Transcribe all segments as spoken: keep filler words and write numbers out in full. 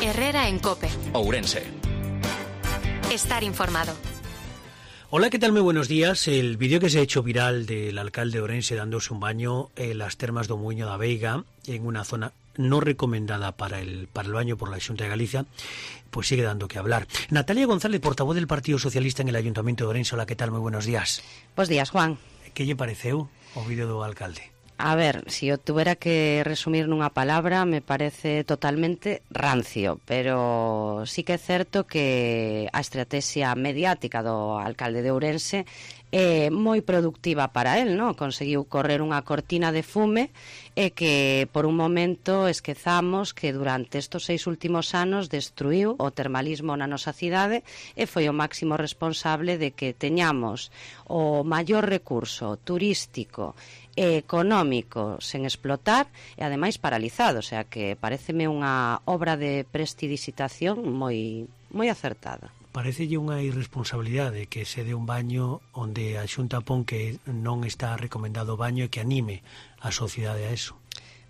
Herrera en COPE. Ourense. Estar informado. Hola, ¿qué tal? Muy buenos días. El vídeo que se ha hecho viral del alcalde de Ourense dándose un baño en las termas do Muiño da Veiga, en una zona no recomendada para el, para el baño por la Xunta de Galicia, pues sigue dando que hablar. Natalia González, portavoz del Partido Socialista en el Ayuntamiento de Ourense. Hola, ¿qué tal? Muy buenos días. Bos días, Juan. Que lle pareceu o vídeo do alcalde? A ver, si eu tuvera que resumir nunha palabra, me parece totalmente rancio, pero sí que é certo que a estrategia mediática do alcalde de Ourense é moi productiva para él, non? Conseguiu correr unha cortina de fume e que por un momento esquezamos que durante estes seis últimos anos destruiu o termalismo na nosa cidade e foi o máximo responsable de que teñamos o maior recurso turístico e económico sen explotar e ademais paralizado, o sea que pareceme unha obra de prestidigitación moi moi acertada. Parecelle unha irresponsabilidade que se dé un baño onde a Xunta pon que non está recomendado o baño e que anime a sociedade a eso.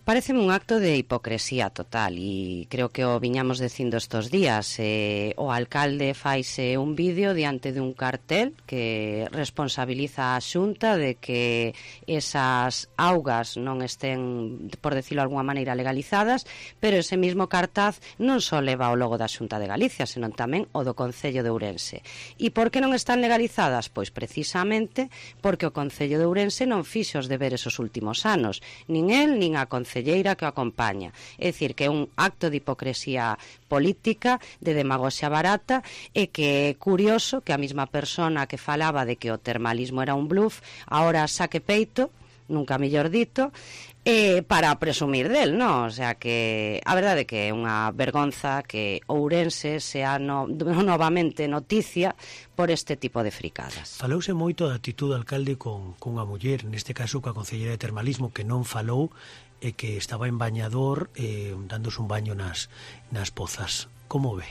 Pareceme un acto de hipocresía total e creo que o viñamos dicindo estos días. Eh, o alcalde faise un vídeo diante de un cartel que responsabiliza a Xunta de que esas augas non estén, por decirlo de alguma maneira, legalizadas, pero ese mismo cartaz non só leva o logo da Xunta de Galicia, senón tamén o do Concello de Ourense. E por que non están legalizadas? Pois precisamente porque o Concello de Ourense non fixo os deberes os últimos anos, nin el, nin a Concello que o acompaña. É dicir, que é un acto de hipocresía política, de demagoxia barata, e que é curioso que a mesma persona que falaba de que o termalismo era un bluff, ahora saque peito, nunca mellor dito, eh, para presumir del, non? O sea que a verdade é que é unha vergonza que Ourense sea no, novamente noticia por este tipo de fricadas. Falouse moito da actitud do alcalde con, con unha muller, neste caso coa concelleira de termalismo, que non falou e que estaba en bañador eh, dándose un baño nas, nas pozas. Como ve?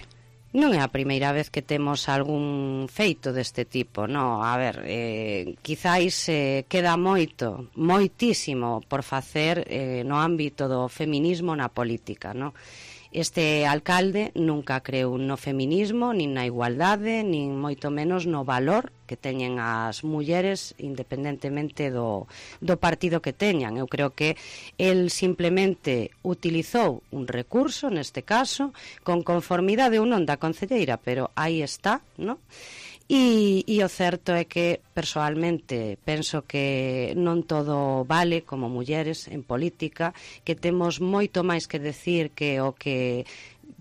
Non é a primeira vez que temos algún feito deste tipo, non? A ver, eh, quizáis eh, queda moito, moitísimo por facer eh, no ámbito do feminismo na política, non? Este alcalde nunca creu no feminismo, nin na igualdade, nin moito menos no valor que teñen as mulleres independentemente do, do partido que teñan. Eu creo que el simplemente utilizou un recurso, neste caso, con conformidade ou non da concelleira, pero aí está, non? E, e o certo é que, persoalmente, penso que non todo vale como mulleres en política, que temos moito máis que decir que o que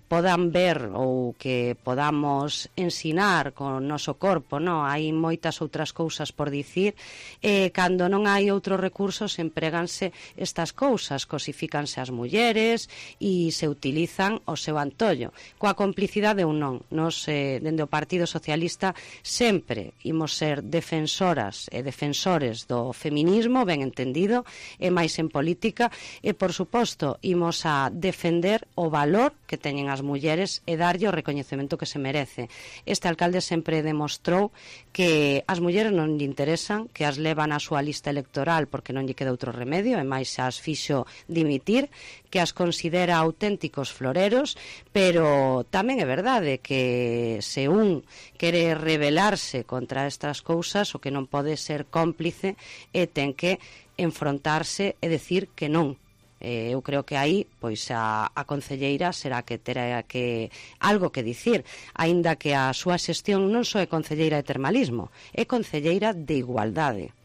podan ver ou que podamos ensinar con o noso corpo, non? Hai moitas outras cousas por dicir, e cando non hai outros recursos empréganse estas cousas, cosifícanse as mulleres e se utilizan o seu antollo, coa complicidade ou non. Nos, eh, dende o Partido Socialista, sempre imos ser defensoras e defensores do feminismo, ben entendido, e máis en política, e, por suposto, imos a defender o valor que teñen as mulleres e darlle o recoñecemento que se merece. Este alcalde sempre demostrou que as mulleres non lle interesan, que as levan á súa lista electoral porque non lle queda outro remedio, e máis as fixo dimitir, que as considera auténticos floreros, pero tamén é verdade que se un quere rebelarse contra estas cousas, o que non pode ser cómplice e ten que enfrontarse e decir que non. Eh, eu creo que aí pois a, a concelleira será que terá que algo que dicir, aínda que a súa xestión non só é concelleira de termalismo, é concelleira de igualdade.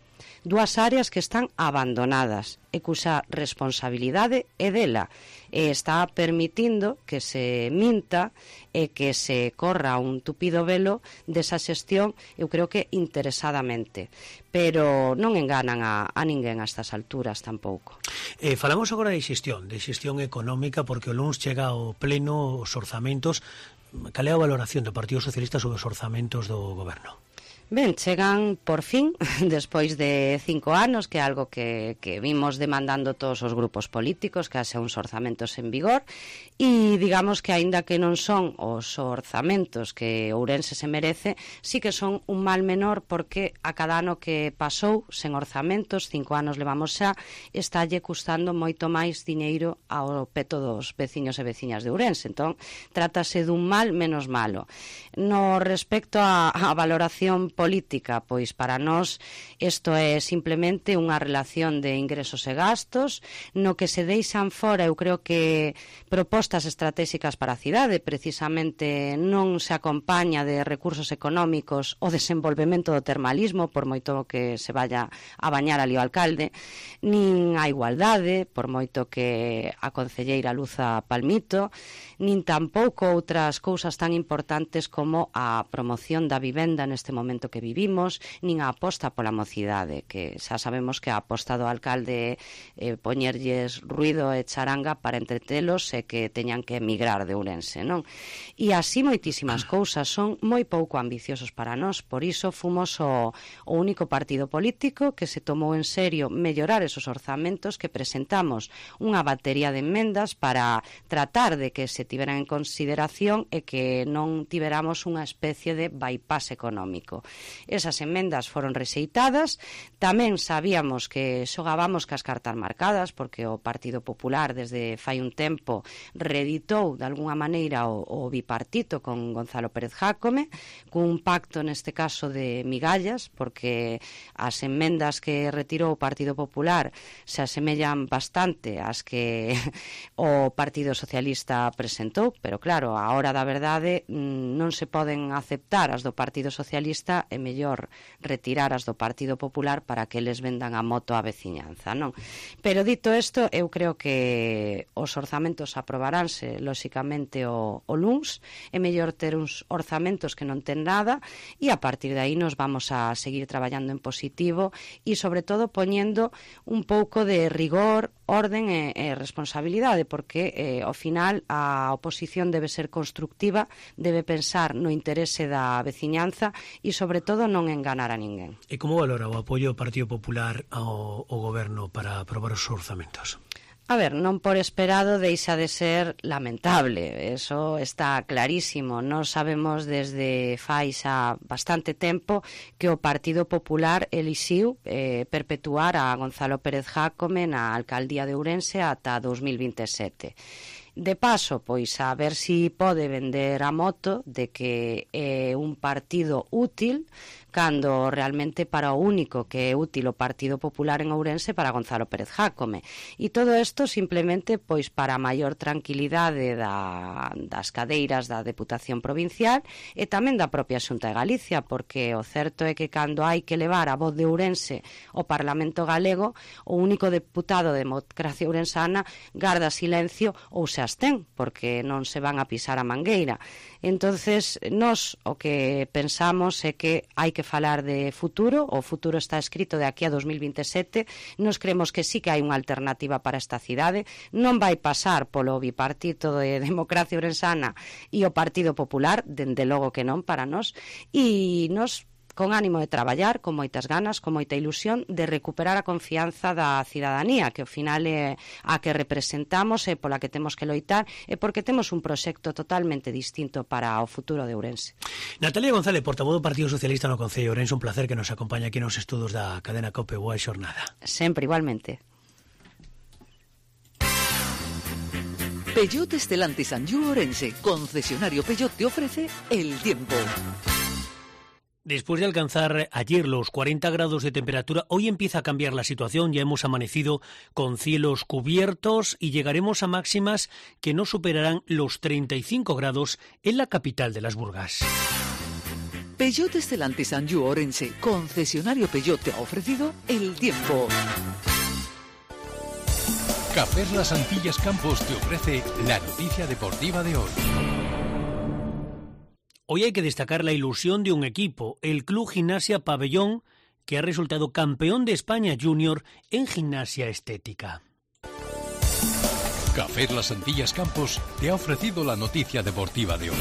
Dúas áreas que están abandonadas e cuxa responsabilidade é dela, e está permitindo que se minta e que se corra un tupido velo desa xestión, eu creo que interesadamente, pero non enganan a, a ninguén a estas alturas tampouco. Eh, falamos agora de xestión, de xestión económica, porque o luns chega ao pleno os orzamentos. Cal é a valoración do Partido Socialista sobre os orzamentos do goberno? Ben, chegan por fin, despois de cinco anos, que é algo que, que vimos demandando todos os grupos políticos, que haxe uns orzamentos en vigor, e digamos que aínda que non son os orzamentos que Ourense se merece, sí que son un mal menor, porque a cada ano que pasou sen orzamentos, cinco anos levamos xa, estalle custando moito máis diñeiro ao peto dos veciños e veciñas de Ourense. Entón, trátase dun mal menos malo. No respecto a, a valoración política, pois para nós isto é simplemente unha relación de ingresos e gastos, no que se deixan fora, eu creo que propostas estratégicas para a cidade, precisamente non se acompaña de recursos económicos o desenvolvemento do termalismo, por moito que se vaya a bañar ali o alcalde, nin a igualdade, por moito que a concelleira Luza Palmito, nin tampouco outras cousas tan importantes como a promoción da vivenda neste momento que vivimos, nin a aposta pola mocidade, que xa sabemos que a aposta do alcalde é eh, poñerlles ruido e charanga para entretelos e que teñan que emigrar de Ourense, non? E así moitísimas cousas, son moi pouco ambiciosos para nós, por iso fomos o, o único partido político que se tomou en serio mellorar esos orzamentos, que presentamos unha batería de enmendas para tratar de que se tiveran en consideración e que non tiveramos unha especie de bypass económico. Esas enmendas foron rexeitadas, tamén sabíamos que xogábamos cas cartas marcadas, porque o Partido Popular desde fai un tempo reeditou de alguna maneira o, o bipartito con Gonzalo Pérez Jácome, cun pacto neste caso de migallas, porque as enmendas que retirou o Partido Popular se asemellan bastante ás que o Partido Socialista presentou, pero claro, a hora da verdade non se poden aceptar as do Partido Socialista, é mellor retirar as do Partido Popular para que eles vendan a moto á veciñanza, non? Pero dito isto, eu creo que os orzamentos aprobaránse lóxicamente o, o luns, é mellor ter uns orzamentos que non ten nada, e a partir de aí nos vamos a seguir traballando en positivo e sobre todo poñendo un pouco de rigor, orden e, e responsabilidade, porque eh, ao final a oposición debe ser constructiva, debe pensar no interese da veciñanza e sobre todo non enganar a ninguén. E como valora o apoio do Partido Popular ao, ao goberno para aprobar os orzamentos? A ver, non por esperado deixa de ser lamentable, eso está clarísimo. Nós sabemos desde fai xa bastante tempo que o Partido Popular elixiu eh, perpetuar a Gonzalo Pérez Jácome na alcaldía de Ourense ata dos mil vinte e sete. De paso, pois a ver si pode vender a moto de que é un partido útil, cando realmente para o único que é útil o Partido Popular en Ourense para Gonzalo Pérez Jácome. E todo isto simplemente pois para a maior tranquilidade da, das cadeiras da Deputación Provincial e tamén da propia Xunta de Galicia, porque o certo é que cando hai que levar a voz de Ourense ao Parlamento Galego, o único deputado de Democracia Ourensana garda silencio ou se abstén, porque non se van a pisar a mangueira. Entonces, nós o que pensamos é que hai que que falar de futuro, o futuro está escrito de aquí a dos mil vinte e sete, nos creemos que sí que hai unha alternativa para esta cidade, non vai pasar polo bipartito de Democracia Ourensana e o Partido Popular, dende logo que non para nós, e nos con ánimo de traballar, con moitas ganas, con moita ilusión, de recuperar a confianza da cidadanía, que ao final é a que representamos e pola que temos que loitar, e porque temos un proxecto totalmente distinto para o futuro de Ourense. Natalia González, portavoz do Partido Socialista no Concello de Ourense, un placer que nos acompañe aquí nos estudos da cadena COPE. Boa xornada. Sempre, igualmente. Peugeot Stellantis Anjou Ourense, concesionario Peugeot, te ofrece el tiempo. Después de alcanzar ayer los cuarenta grados de temperatura, hoy empieza a cambiar la situación. Ya hemos amanecido con cielos cubiertos y llegaremos a máximas que no superarán los treinta y cinco grados en la capital de las Burgas. Peugeot Stellantis Anjou Ourense, concesionario Peugeot, te ha ofrecido el tiempo. Cafés Las Antillas Campos te ofrece la noticia deportiva de hoy. Hoy hay que destacar la ilusión de un equipo, el Club Gimnasia Pabellón, que ha resultado campeón de España Junior en gimnasia estética. Cafés Las Antillas Campos te ha ofrecido la noticia deportiva de hoy.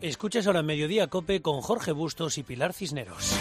Escuchas ahora Mediodía Cope con Jorge Bustos y Pilar Cisneros.